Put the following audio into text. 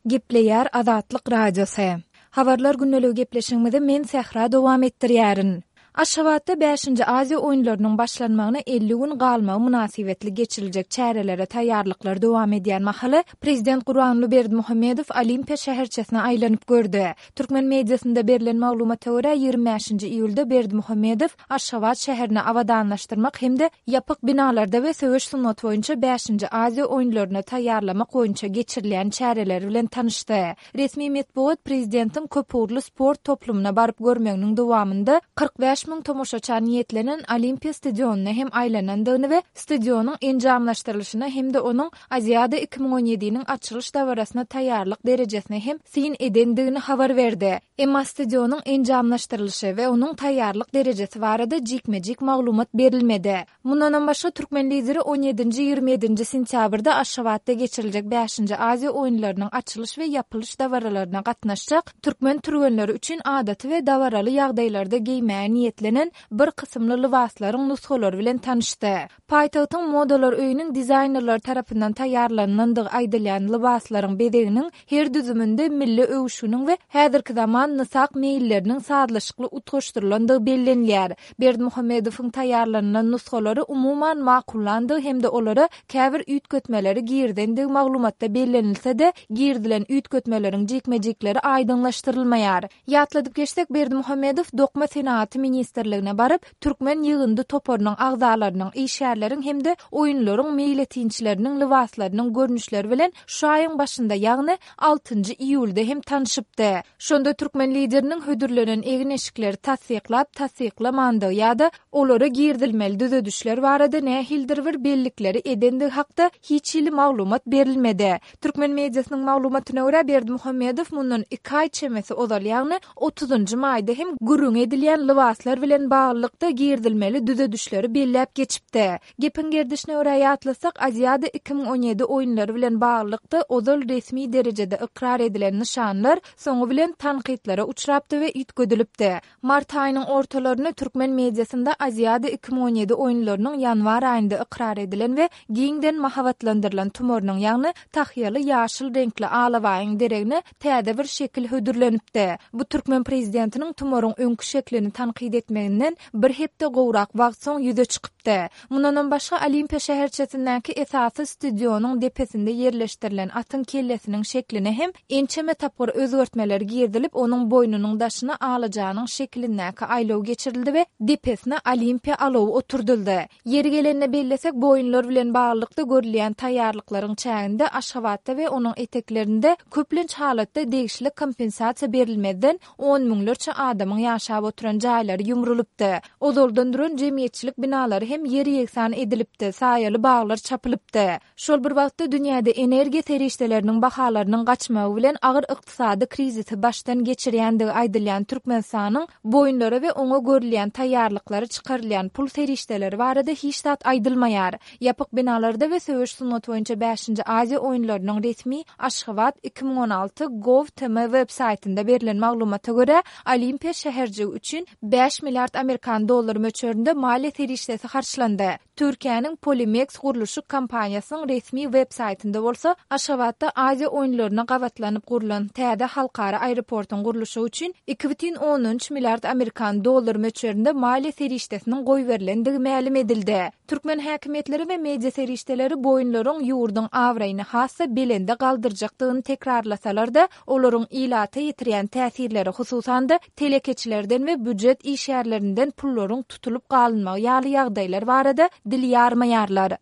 Gepleýär Azatlyk Radiosy. Habarlar gündeligi gepleşigimizi men Sähra dowam etdirýärin. Aşgabatda bäşinji Aziýa oýunlarynyň başlanmagyna 50 gün galmagy mynasybetli geçiriljek çärelere taýýarlyklar dowam edýän mahaly, Prezident Gurbanguly Berdimuhamedow Olimpiýa şäherçesine aýlanyp gördi. Türkmen mediasynda berlen maglumata görä, 25-nji iýulda Berdimuhamedow Aşgabat şäherini abadanlaşdyrmak hem-de ýapyk binalarda we söweş sungaty boýunça bäşinji Aziýa oýunlaryna taýýarlamak boýunça geçirilýän çäreler bilen tanyşdy. Resmi metbugat prezidentiň köpugurly sport toplumyna baryp görmeginiň dowamynda 45 müň tomaşaça niýetlenen Olimpiýa stadionyna hem aýlanandygyny we stadionyň enjamlaşdyrylyşyna hem-de onuň Aziada 2017-niň açylyş dabarasyna taýýarlyk derejesine hem syn edendigini habar berdi. Emma stadionyň enjamlaşdyrylyşy we onuň taýýarlyk derejesi barada jikme-jik maglumat berilmedi. Mundanam başga, türkmen Lideri on ýedinji, 27 nji sentýabrda Aşgabatda geçiriljek bäşinji Aziýa oýunlarynyň açylyş we ýapylyş dabaralaryna gatnaşjak türkmen türgenleri üçin adaty we dabaraly ýagdaýlarda geýmäge niýetlenen bir kysymly lybaslaryň nusgalary bilen tanyşdy. Paýtagtyň Modalar öýüniň dizaýnerleri tarapyndan taýýarlanylandygy aýdylýan lybaslaryň bezeginiň her düzüminde milli öwüşginiň we häzirki zaman nysak meýilleriniň sazlaşykly utgaşdyrylandygy bellenilýär. Berdimuhamedowyň taýýarlanylan nusgalary umuman makullandygy hem-de olara käbir üýtgetmeleri girizendigi maglumatda bellenilse-de, girizilen üýtgetmeleriň jikme-jikleri aýdyňlaşdyrylmaýar. Ýatladyp geçsek, Berdimuhamedow Dokma senagaty ministrligine baryp, türkmen ýygyndy toparynyň agzalarynyň, işgärleriň hem-de oýunlaryň meýletinçileriniň lybaslarynyň görnüşleri bilen şu aýyň başynda, ýagny altynjy iýulda hem tanyşypdy. Şonda türkmen Lideriniň hödürlenen egin-eşikleri tassyklap-tassyklamandygy ýa-da olara girizilmeli düzedişler barada nähilidir bir bellikleri edendigi hakda hiç hili maglumat berilmedi. Türkmen mediasynyň maglumatyna görä, Berdimuhamedow mundan iki aý çemesi ozal, ýagny otuzynjy maýda hem gürrüňi edilýän lybaslar bilen baglylykda girizilmeli düzedişleri belläp geçipdi. Gepiň gerdişine görä ýatlasak, Aziada 2017 oýunlary bilen baglylykda ozal resmi derejede ykrar edilen nyşanlar soňy bilen tankytlara uçrapdy we üýtgedilipdi. Mart aýynyň ortalarynda türkmen mediasynda Aziada 2017 oýunlarynyň ýanwar aýynda ykrar edilen we giňden mahabatlandyrylan tumarynyň, ýagny tahýaly ýaşyl reňkli alabaýyň deregine täze bir şekil hödürlenipdi. Bu türkmen prezidentiniň tumaryň öňki şeklini tankyt etmeginden bir hepde gowrak wagt soň ýüze çykypdy. Mundanam başga, Olimpiýa şäherçesindäki esasy stadionyň depesinde ýerleşdirilen atyň kellesiniň şekline hem ençeme tapgyr özgertmeler girizilip, onuň boýnunyň daşyna alajanyň şekilindäki aýlaw geçirildi we depesine Olimpiýa alawy oturdyldy. Ýeri gelende bellesek, bu oýunlar bilen baglylykda görülýän taýýarlyklaryň çäginde Aşgabatda we onuň eteklerinde köplenç halatda degişli kompensasiýa berilmezden on müňlerçe adamyň ýaşap oturan jaýlary ýumrulypdy. Ozaldan duran jemgyýetçilik binalary hem ýer-ýegsan edilipdi, saýaly baglar çapylypdy. Şol bir wagtda dünýäde energiýa serişdeleriniň bahalarynyň gaçmagy bilen agyr ykdysady krizisi başdan geçirýändigi aýdylýan Türkmenistanyň bu oýunlara we oňa görülýän taýýarlyklara çykarylýan pul serişdeleri barada hiç zat aýdylmaýar. Ýapyk binalarda we söweş sungaty boýunça bäşinji Aziýa oýunlarynyň resmi Aşgabat 2016 gov tm web saýtynda berlen maglumata görä, Olimpiýa şäherjigi üçin bäş milliard amerikan dollary möçberinde maliýe serişdesi harçlandy. Türkiýäniň Polimeks gurluşyk kompaniýasynyň resmi web saýtynda bolsa, Aşgabatda Aziýa oýunlaryna gabatlanyp gurlan täze halkara aeroportuň gurluşygy üçin 2,3 milliard amerikan dollary möçberinde maliýe serişdesiniň goýberilendigi mälim edildi. Türkmen häkimiýetleri we media serişdeleri bu oýunlaryň ýurduň abraýyny has-da belende galdyrjakdygyny tekrarlasalar-da, olaryň ilata ýetirýän täsirleri, hususan-da, telekeçilerden we býujet işgärlerinden pullaryň tutulyp galynmagy ýaly ýagdaýlar barada dil ýarmaýarlar.